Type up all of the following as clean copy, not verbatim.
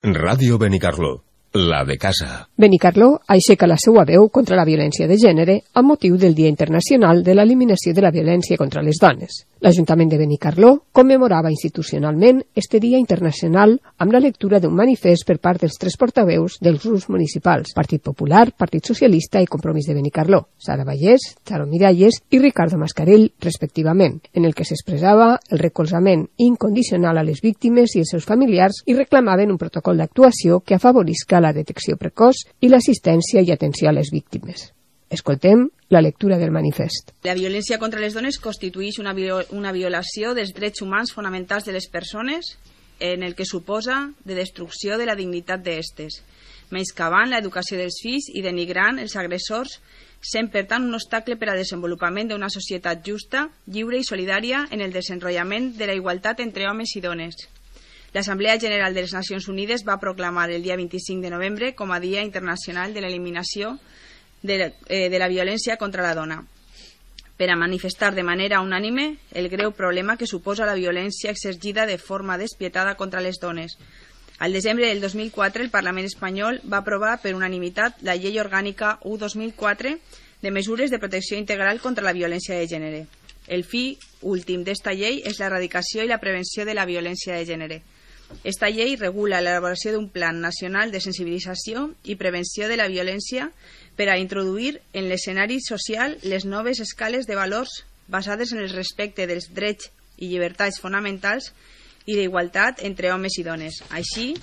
Ràdio Benicarló, la de casa. Benicarló aixeca la seva veu contra la violència de gènere amb motiu del Dia Internacional de l'Eliminació de la Violència contra les Dones. L'Ajuntament de Benicarló commemorava institucionalment este Dia Internacional amb la lectura d'un manifest per part dels 3 portaveus dels grups municipals, Partit Popular, Partit Socialista i Compromís de Benicarló, Sara Vallès, Charo Miralles i Ricardo Mascarell, respectivament, en el que s'expressava el recolzament incondicional a les víctimes i els seus familiars i reclamaven un protocol d'actuació que afavorisca la detecció precoç i l'assistència i atenció a les víctimes. Escoltem la lectura del manifest. La violència contra les dones constitueix una violació dels drets humans fonamentals de les persones en el que suposa de destrucció de la dignitat d'estes, menyscabant l'educació dels fills i denigrant els agressors, sent per tant un obstacle per al desenvolupament d'una societat justa, lliure i solidària en el desenvolupament de la igualtat entre homes i dones. L'Assemblea General de les Nacions Unides va proclamar el dia 25 de novembre com a Dia Internacional de l'Eliminació de la Violència contra la Dona, per a manifestar de manera unànime el greu problema que suposa la violència exercida de forma despietada contra les dones. Al desembre del 2004, el Parlament espanyol va aprovar per unanimitat la Llei Orgànica 1/2004 de mesures de protecció integral contra la violència de gènere. El fi últim d'esta llei és l'erradicació i la prevenció de la violència de gènere. Esta llei regula l'elaboració d'un plan nacional de sensibilització i prevenció de la violència per a introduir en l'escenari social les noves escales de valors basades en el respecte dels drets i llibertats fonamentals i d'igualtat entre homes i dones, així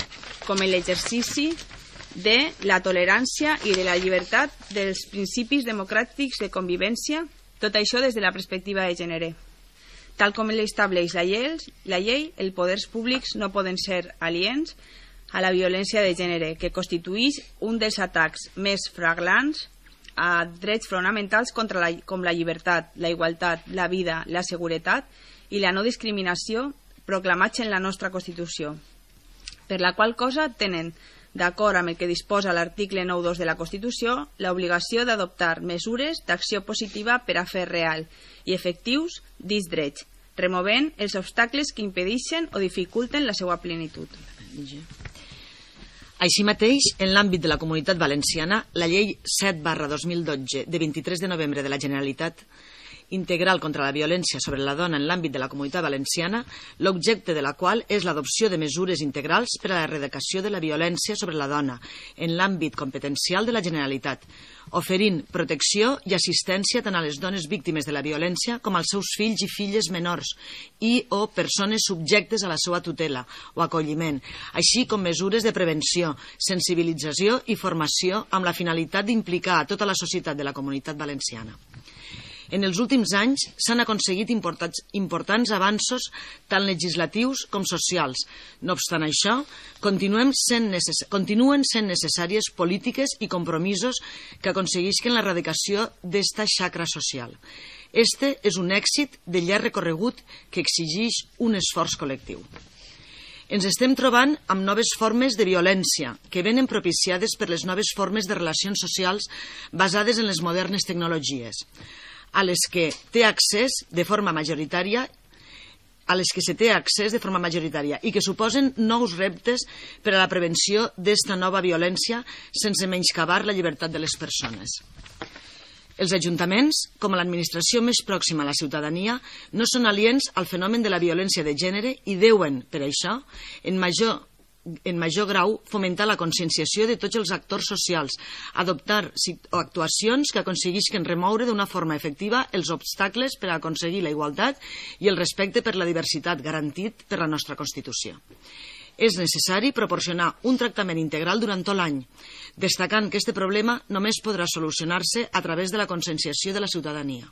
com en l'exercici de la tolerància i de la llibertat dels principis democràtics de convivència, tot això des de la perspectiva de gènere. Tal com l'estableix la llei, els poders públics no poden ser aliens a la violència de gènere, que constitueix un dels atacs més flagrants a drets fonamentals com la llibertat, la igualtat, la vida, la seguretat i la no discriminació proclamats en la nostra Constitució, per la qual cosa tenen, d'acord amb el que disposa l'article 9.2 de la Constitució, l'obligació d'adoptar mesures d'acció positiva per a fer real i efectius dits drets, removent els obstacles que impedeixen o dificulten la seva plenitud. Així mateix, en l'àmbit de la Comunitat Valenciana, la Llei 7/2012 de 23 de novembre de la Generalitat Integral contra la violència sobre la dona en l'àmbit de la Comunitat Valenciana, l'objecte de la qual és l'adopció de mesures integrals per a l'erradicació de la violència sobre la dona en l'àmbit competencial de la Generalitat, oferint protecció i assistència tant a les dones víctimes de la violència com als seus fills i filles menors i o persones subjectes a la seva tutela o acolliment, així com mesures de prevenció, sensibilització i formació amb la finalitat d'implicar a tota la societat de la Comunitat Valenciana. En els últims anys s'han aconseguit importants avanços tant legislatius com socials. No obstant això, continuen sent necessàries polítiques i compromisos que aconseguisquen l'erradicació d'esta xacra social. Este és un èxit de llarg recorregut que exigeix un esforç col·lectiu. Ens estem trobant amb noves formes de violència que venen propiciades per les noves formes de relacions socials basades en les modernes tecnologies, a les que se té accés de forma majoritària i que suposen nous reptes per a la prevenció d'esta nova violència sense menyscabar la llibertat de les persones. Els ajuntaments, com a l'administració més pròxima a la ciutadania, no són aliens al fenomen de la violència de gènere i deuen, per això, en major grau, fomentar la conscienciació de tots els actors socials, adoptar actuacions que aconseguisquen remoure d'una forma efectiva els obstacles per a aconseguir la igualtat i el respecte per la diversitat garantit per la nostra Constitució. És necessari proporcionar un tractament integral durant tot l'any, destacant que aquest problema només podrà solucionar-se a través de la conscienciació de la ciutadania.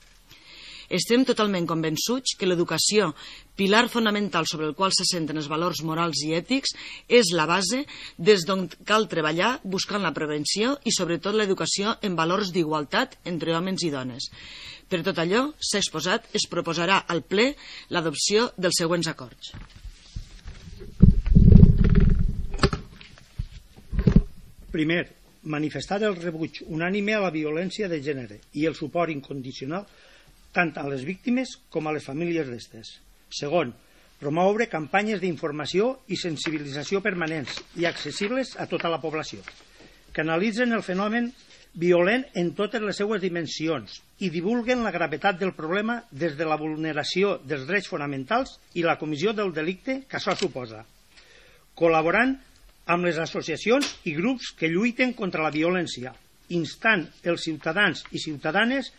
Estem totalment convençuts que l'educació, pilar fonamental sobre el qual s'assenten els valors morals i ètics, és la base des d'on cal treballar buscant la prevenció i sobretot l'educació en valors d'igualtat entre homes i dones. Per tot allò s'ha exposat, es proposarà al ple l'adopció dels següents acords. Primer, manifestar el rebuig unànime a la violència de gènere i el suport incondicional tant a les víctimes com a les famílies d'estes. Segon, promoure campanyes d'informació i sensibilització permanents i accessibles a tota la població, que analitzen el fenomen violent en totes les seues dimensions i divulguen la gravetat del problema des de la vulneració dels drets fonamentals i la comissió del delicte que això suposa, col·laborant amb les associacions i grups que lluiten contra la violència, instant els ciutadans i ciutadanes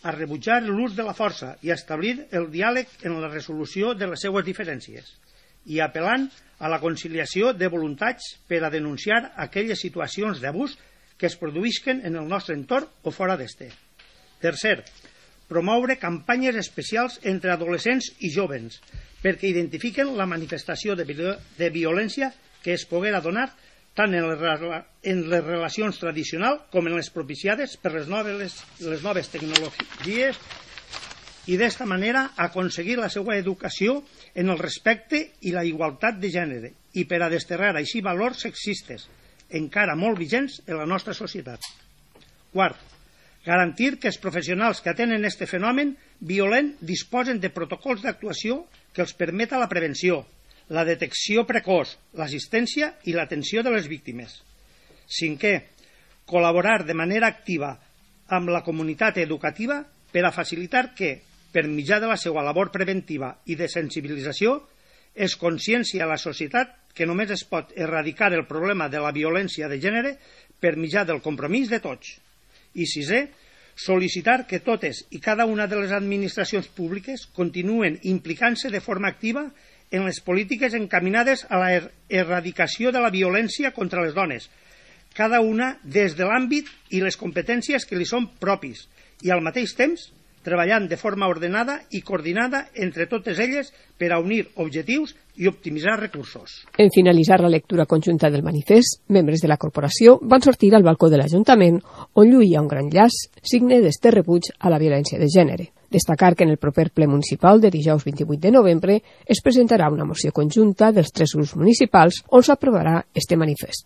a rebutjar l'ús de la força i a establir el diàleg en la resolució de les seues diferències i apel·lant a la conciliació de voluntats per a denunciar aquelles situacions d'abús que es produïsquen en el nostre entorn o fora d'este. Tercer, promoure campanyes especials entre adolescents i jóvens perquè identifiquen la manifestació de violència que es poguera donar tant en les relacions tradicionals com en les propiciades per les noves tecnologies i d'esta manera aconseguir la seva educació en el respecte i la igualtat de gènere i per a desterrar així valors sexistes encara molt vigents en la nostra societat. Quart, garantir que els professionals que atenen aquest fenomen violent disposen de protocols d'actuació que els permeta la prevenció, la detecció precoç, l'assistència i l'atenció de les víctimes. Cinquè, col·laborar de manera activa amb la comunitat educativa per a facilitar que, per mitjà de la seva labor preventiva i de sensibilització, es consciencia a la societat que només es pot erradicar el problema de la violència de gènere per mitjà del compromís de tots. I sisè, sol·licitar que totes i cada una de les administracions públiques continuen implicant-se de forma activa en les polítiques encaminades a la erradicació de la violència contra les dones, cada una des de l'àmbit i les competències que li són propis, i al mateix temps treballant de forma ordenada i coordinada entre totes elles per a unir objectius i optimitzar recursos. En finalitzar la lectura conjunta del manifest, membres de la corporació van sortir al balcó de l'Ajuntament on lluïa un gran llaç, signe d'este rebuig a la violència de gènere. Destacar que en el proper ple municipal de dijous 28 de novembre es presentarà una moció conjunta dels 3 grups municipals on s'aprovarà este manifest.